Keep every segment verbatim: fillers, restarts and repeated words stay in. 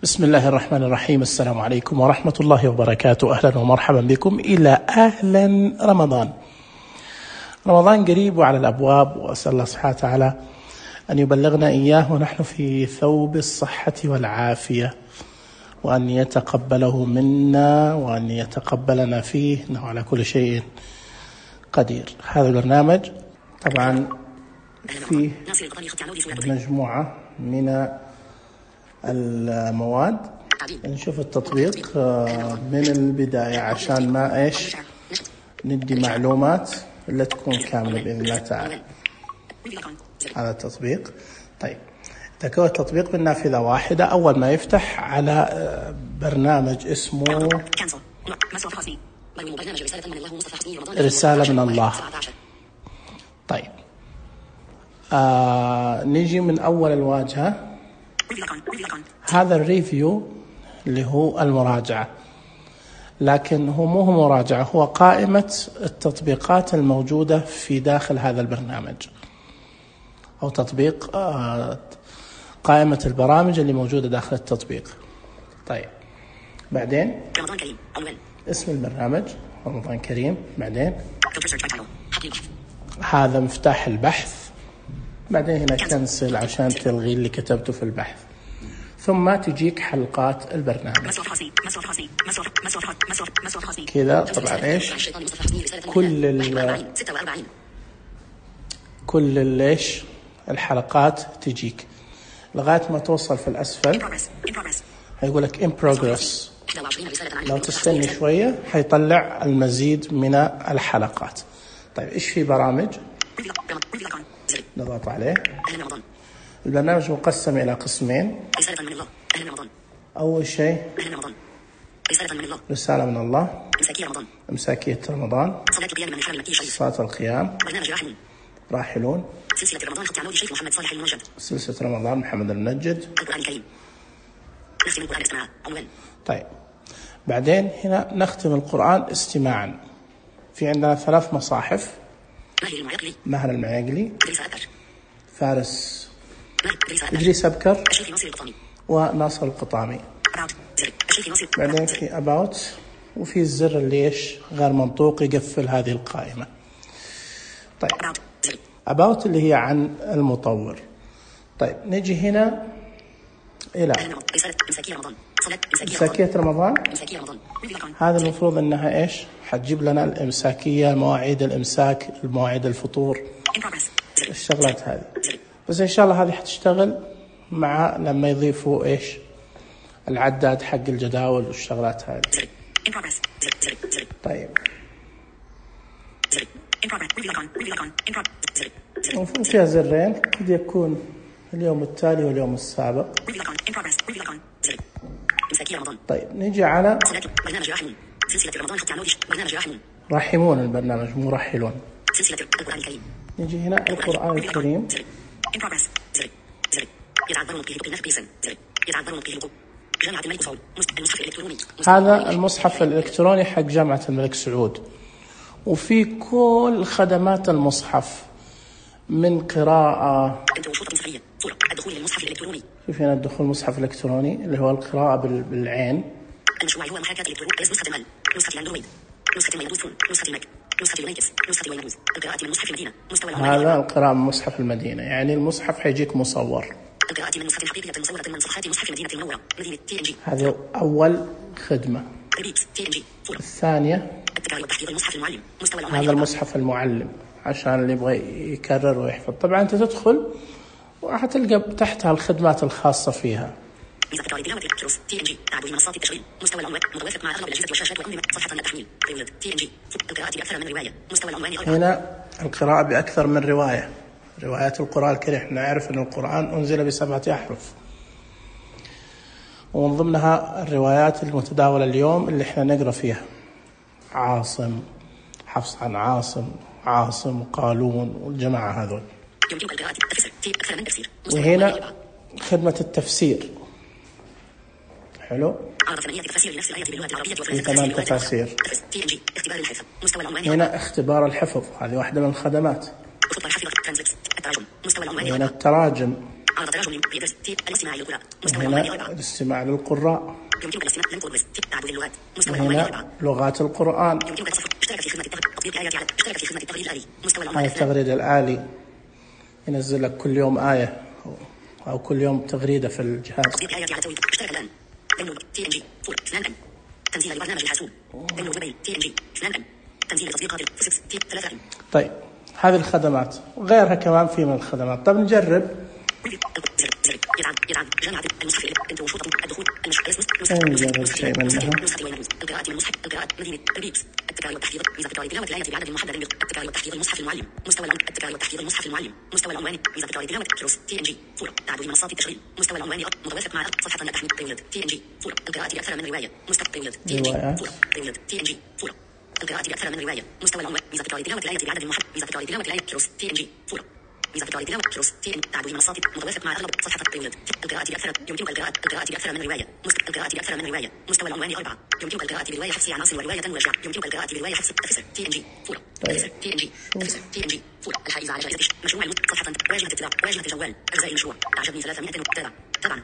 بسم الله الرحمن الرحيم. السلام عليكم ورحمة الله وبركاته. أهلا ومرحبا بكم إلى أهلا رمضان. رمضان قريب وعلى الأبواب، وأسأل الله سبحانه وتعالى أن يبلغنا إياه ونحن في ثوب الصحة والعافية، وأن يتقبله منا وأن يتقبلنا فيه، إنه على كل شيء قدير. هذا البرنامج طبعا فيه مجموعة من المواد. نشوف التطبيق من البداية عشان ما إيش ندي معلومات اللي تكون كاملة بإذن الله تعالى. هذا التطبيق. طيب، تكون التطبيق من نافذة واحدة. أول ما يفتح على برنامج اسمه رسالة من الله. طيب، آه نيجي من أول الواجهة. هذا الريفيو اللي هو المراجعة، لكن هو مو هو مراجعة، هو قائمة التطبيقات الموجودة في داخل هذا البرنامج، أو تطبيق آه قائمة البرامج اللي موجودة داخل التطبيق. طيب، بعدين اسم البرنامج رمضان كريم. بعدين هذا مفتاح البحث. بعدين هنا كنسل عشان تلغي اللي كتبته في البحث. ثم تجيك حلقات البرنامج كذا. طبعا ايش كل ال كل الايش الحلقات تجيك لغايه ما توصل في الاسفل. هيقول لك in progress. لو تستني شويه حيطلع المزيد من الحلقات. طيب، ايش في برامج؟ نضغط عليه. البرنامج مقسم إلى قسمين. أول شيء رسالة من الله، إمساكية رمضان، صلاة القيام، راحلون، سلسلة رمضان خط عمود شيخ محمد صالح المنجد، سلسلة رمضان محمد المنجد، القرآن الكريم، نختم القرآن استماعا. طيب، بعدين هنا نختم القرآن استماعا. في عندنا ثلاث مصاحف: ماهر المعيقلي، فارس إدريس أبكر، وناصر القطامي. بعدين في about، وفي الزر اللي إيش غير منطوق يقفل هذه القائمة. طيب، about اللي هي عن المطور. طيب، نجي هنا إلى إمساكية رمضان. هذا المفروض أنها إيش حتجيب لنا الإمساكية، مواعيد الإمساك، المواعيد الفطور، الشغلات هذه. بس إن شاء الله هذه حتشتغل مع لما يضيفوا إيش العداد حق الجداول والشغلات هذه. طيب، المفروض فيها زرين، قد يكون اليوم التالي واليوم السابق. طيب، نيجي على راحمون. البرنامج مو راحلون. نيجي هنا القرآن الكريم. هذا المصحف الإلكتروني حق جامعة الملك سعود، وفي كل خدمات المصحف من قراءة. كيف هنا الدخول المصحف الإلكتروني اللي هو القراءة بالعين. المشروع هو محاكاة الإلكترونية نسخة مال، نسخة أندرويد، نسخة ويندوز فون، نسخة ماك، نسخة يونيكس، نسخة ويندوز. القراءة من مصحف المدينة. مستوى هذا القراءة من مصحف المدينة، يعني المصحف حيجيك مصور. القراءة من مصحف حقيقية مصورة من صفحات مصحف المدينة المنورة، مدينة تي إن جي. هذه أول خدمة. الثانية هذا المصحف المعلم، عشان اللي يبغى يكرر ويحفظ. طبعا أنت تدخل وحتلقى تحتها الخدمات الخاصة فيها. هنا القراءة بأكثر من رواية. روايات القرآن الكريم، احنا نعرف أن القرآن أنزل بسبعة أحرف، ومن ضمنها الروايات المتداولة اليوم اللي احنا نقرأ فيها: عاصم، حفص عن عاصم، عاصم وقالون والجماعة هذول. وهنا خدمة التفسير. حلو، في ثمان تفاسير. هنا اختبار الحفظ، هذه واحدة من الخدمات. هنا التراجم. عرض تراجم بيدرس تي الاستماع للقراء مستوى العنواني أربعة الاستماع للقراء يمكنك الاستماع لم تدرس تي تعدد اللغات مستوى العنواني أربعة لغات القرآن يمكنك التصفح اشترك في خدمة تطبيق آيات على اشترك في خدمة التغريد الآلي مستوى العنواني التغريد الآلي ينزل لك كل يوم آية أو كل يوم تغريدة في الجهاز تطبيق آيات على تويتر اشترك الآن داونلود تي إن جي فور اثنان أم تنزيل لبرنامج الحاسوب داونلود موبايل تي إن جي اثنان أم تنزيل تطبيقات الفيسكس تي ثلاثة أم. طيب هذه الخدمات وغيرها كمان في من الخدمات. طب نجرب نجرب شيء منها. القراءة من المصحف القراءة مدينة البيبس التكرار والتحفيظ ميزة تكرار التلاوة الآية بعدد محدد التكرار والتحفيظ المصحف المعلم مستوى التكرار والتحفيظ المصحف المعلم مستوى العنواني ميزة تكرار التلاوة كروس تي إن جي فور تعدد منصات التشغيل مستوى العنواني متوافق مع صفحة لا تحمل بريولد تي إن جي فور القراءة بأكثر من رواية مستوى بريولد تي إن جي فور بريولد تي إن جي فور القراءة بأكثر من رواية مستوى العنوان ميزة تكرار التلاوة الآية بعدد محدد ميزة تكرار التلاوة الآية كروس تي إن جي فور ميزة تكرار التلاوة كروس تي إن تعدد منصات متوافق مع أغلب صفحة بريولد القراءة بأكثر يمكنك القراءة القراءة بأكثر من رواية القراءة بأكثر من رواية مستوى العنواني أربعة يمكنك القراءة برواية حفص عناصر ورواية وجع يمكنك القراءة برواية حفص أفسر تي إن جي فور أفسر تي إن جي أفسر تي إن جي فور الحائزة على جائزة مشروع المت صفحة واجهة اطلاع واجهة الجوال أجزاء المشروع أعجبني ثلاثمائة تابع تابعا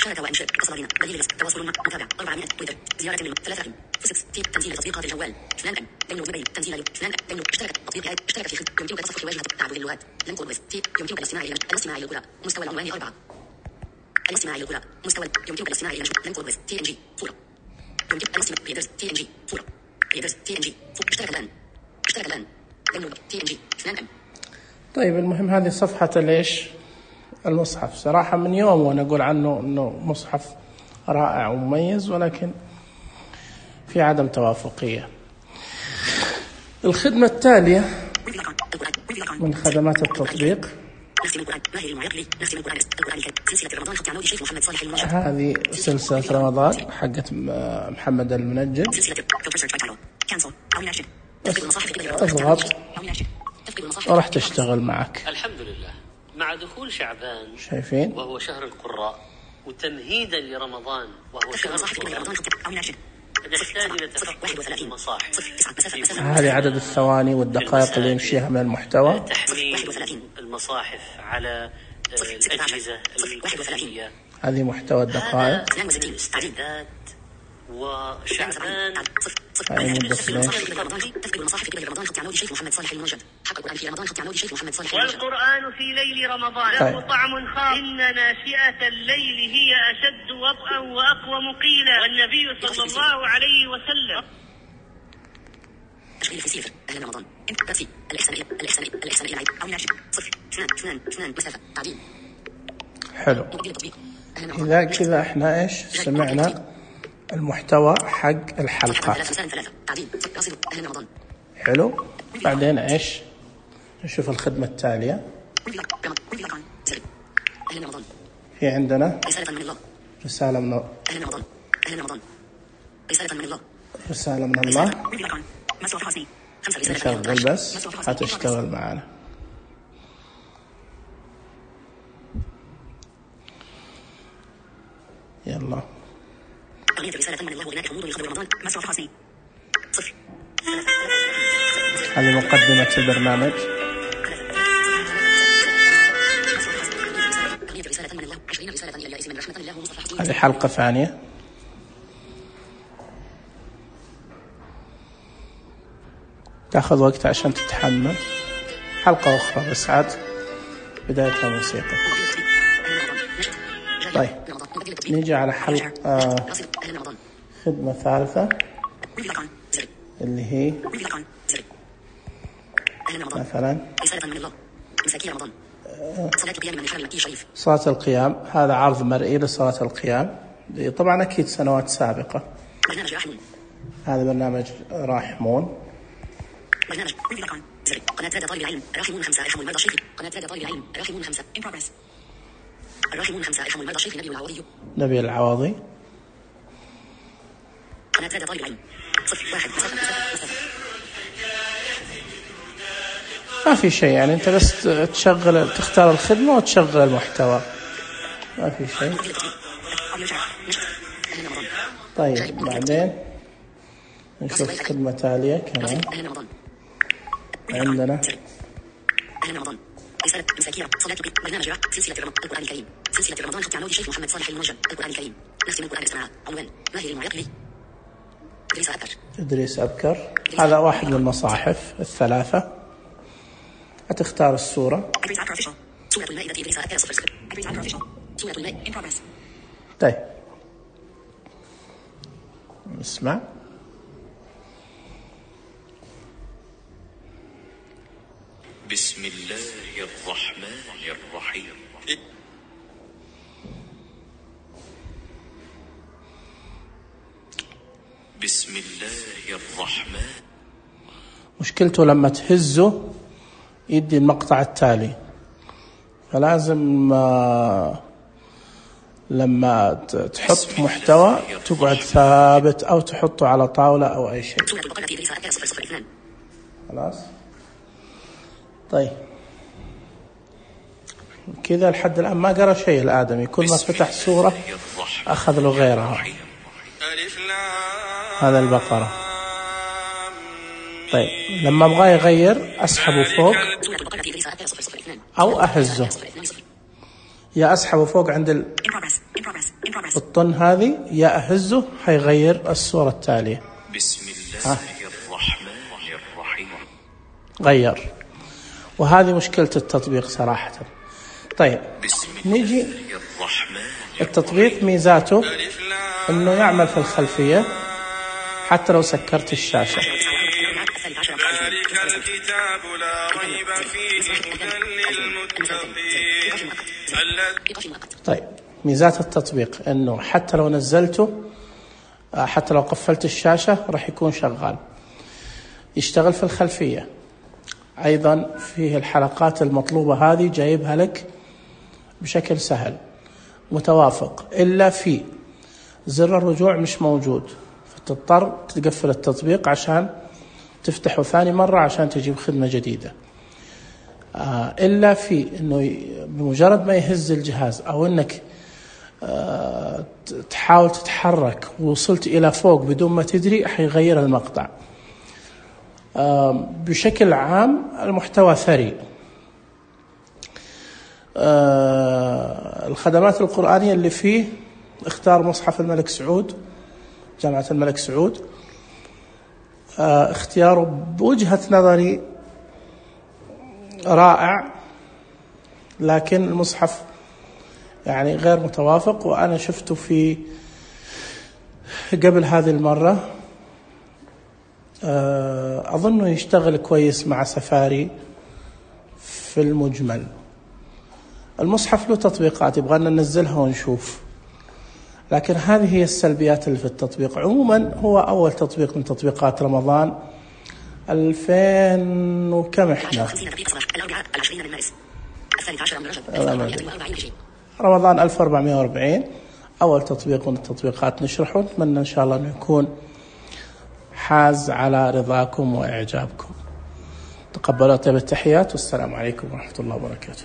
شارك وانشر اتصل بنا دليل الرزق تواصل مع متابع أربعمائة تويتر زيارة من ثلاثة فيسكس تي تنزيل تطبيقات الجوال اثنان أم داونلود موبايل تنزيل اثنان داونلود اشترك تطبيق آيات اشترك في خدمة يمكنك تصفح واجهة تعدد اللغات لم تدرس تي يمكنك الاستماع إلى الاستماع إلى القراء مستوى العنواني أربعة الاستماع إلى القراء مستوى يمكنك الاستماع إلى لم تدرس تي إن جي فور يمكنك الاستماع بيدرس تي إن جي فور بيدرس تي إن جي فور اشترك الآن اشترك الآن داونلود تي إن جي اثنان أم. طيب المهم هذه صفحة ليش المصحف صراحة من يوم وأنا أقول عنه أنه مصحف رائع ومميز ولكن في عدم توافقية. الخدمة التالية من خدمات التطبيق هذه سلسلة رمضان حقت محمد المنجد اضغط وراح تشتغل معك. الحمد لله مع دخول شعبان شايفين وهو شهر القراء وتمهيدا لرمضان وهو شهر القرآن نحتاج إلى تفقد المصاحف. هذه عدد الثواني والدقائق اللي يمشيها من المحتوى. تحميل المصاحف على الأجهزة الخفية. هذه محتوى الدقائق. استعداد وشعبان هاي مدة تفقد المصاحف قبل رمضان خط عنود شيخ محمد صالح المنجد حق القرآن في رمضان خط عنود شيخ محمد صالح المنجد. والقرآن في ليل رمضان له طعم خاص إن ناشئة الليل هي أشد وطئا وأقوم قيلا والنبي صلى الله عليه وسلم. تشغيل في سيفر أهلا رمضان ترتيب الإحسان الإحسان الإحسان إلى أو ناشئ صفر اثنان اثنان اثنان مسافة تعديل. حلو. إذا كذا إحنا إيش سمعنا المحتوى حق الحلقة. حلو. بعدين إيش نشوف الخدمة التالية. في عندنا رسالة من الله. رسالة من الله نشغل بس هتشتغل معنا. يلا هذه مقدمة البرنامج. هذه حلقة ثانية. تأخذ وقت عشان تتحمل. حلقة أخرى بس عاد بدايتها موسيقى. طيب نيجي على حلقة آه خدمة ثالثة اللي هي مثلا صلاة القيام. هذا عرض مرئي لصلاة القيام طبعا أكيد سنوات سابقة. هذا برنامج راحمون. برنامج قناة رادة طالب العلم راحمون خمسة ارحموا المرضى الشيخ. قناة رادة طالب العلم راحمون خمسة in progress. الراحمون خمسة ارحموا المرضى الشيخ نبي العوضي. نبي العوضي. قناة رادة طالب العلم صفر واحد مسافة مسافة. ما في شيء يعني أنت بس تشغل تختار الخدمة وتشغل المحتوى ما في شيء. طيب بعدين نشوف خدمة تالية كمان. عندنا رسالة مساكير صلاة برنامج سلسلة القرآن الكريم سلسلة رمضان خط عنود الشيخ محمد صالح المنجم القرآن الكريم نختم القرآن السماء عنوان ماهر المعقل إدريس أبكر إدريس أبكر هذا واحد من المصاحف الثلاثة. هتختار السورة. سورة المائدة إدريس أبكر صفر صفر سورة المائدة. طيب اسمع. بسم الله الرحمن الرحيم. بسم الله الرحمن. مشكلته لما تهزه يدي المقطع التالي، فلازم لما تحط محتوى تقعد ثابت أو تحطه على طاولة أو أي شيء. خلاص. طيب كذا لحد الآن ما قرأ شيء الآدمي، كل ما فتح سورة أخذ له غيرها. هذا البقرة. طيب لما أبغى يغير أسحبه فوق أو أهزه، يا أسحبه فوق عند الطن هذه يا أهزه هيغير السورة التالية. بسم الله الرحمن الرحيم. غير. وهذه مشكلة التطبيق صراحة. طيب نيجي التطبيق ميزاته انه يعمل في الخلفية حتى لو سكرت الشاشة. طيب ميزات التطبيق انه حتى لو نزلته، حتى لو قفلت الشاشة راح يكون شغال، يشتغل في الخلفية. أيضا فيه الحلقات المطلوبة هذه جايبها لك بشكل سهل متوافق، إلا في زر الرجوع مش موجود، فتضطر تقفل التطبيق عشان تفتحه ثاني مرة عشان تجيب خدمة جديدة. آه إلا في إنه بمجرد ما يهز الجهاز أو إنك آه تحاول تتحرك ووصلت إلى فوق بدون ما تدري حيغير المقطع. آه بشكل عام المحتوى ثري. آه الخدمات القرآنية اللي فيه، اختار مصحف الملك سعود، جامعة الملك سعود. آه اختياره بوجهة نظري رائع، لكن المصحف يعني غير متوافق، وأنا شفته في قبل هذه المرة. آه أظنه يشتغل كويس مع سفاري في المجمل. المصحف له تطبيقات يبغانا ننزلها ونشوف، لكن هذه هي السلبيات اللي في التطبيق. عموما هو أول تطبيق من تطبيقات رمضان ألفين وكم احنا رمضان ألف وأربعمائة وأربعين، أول تطبيق من التطبيقات نشرحه. نتمنى إن شاء الله أنه يكون حاز على رضاكم وإعجابكم. تقبلوا طيب التحيات، والسلام عليكم ورحمة الله وبركاته.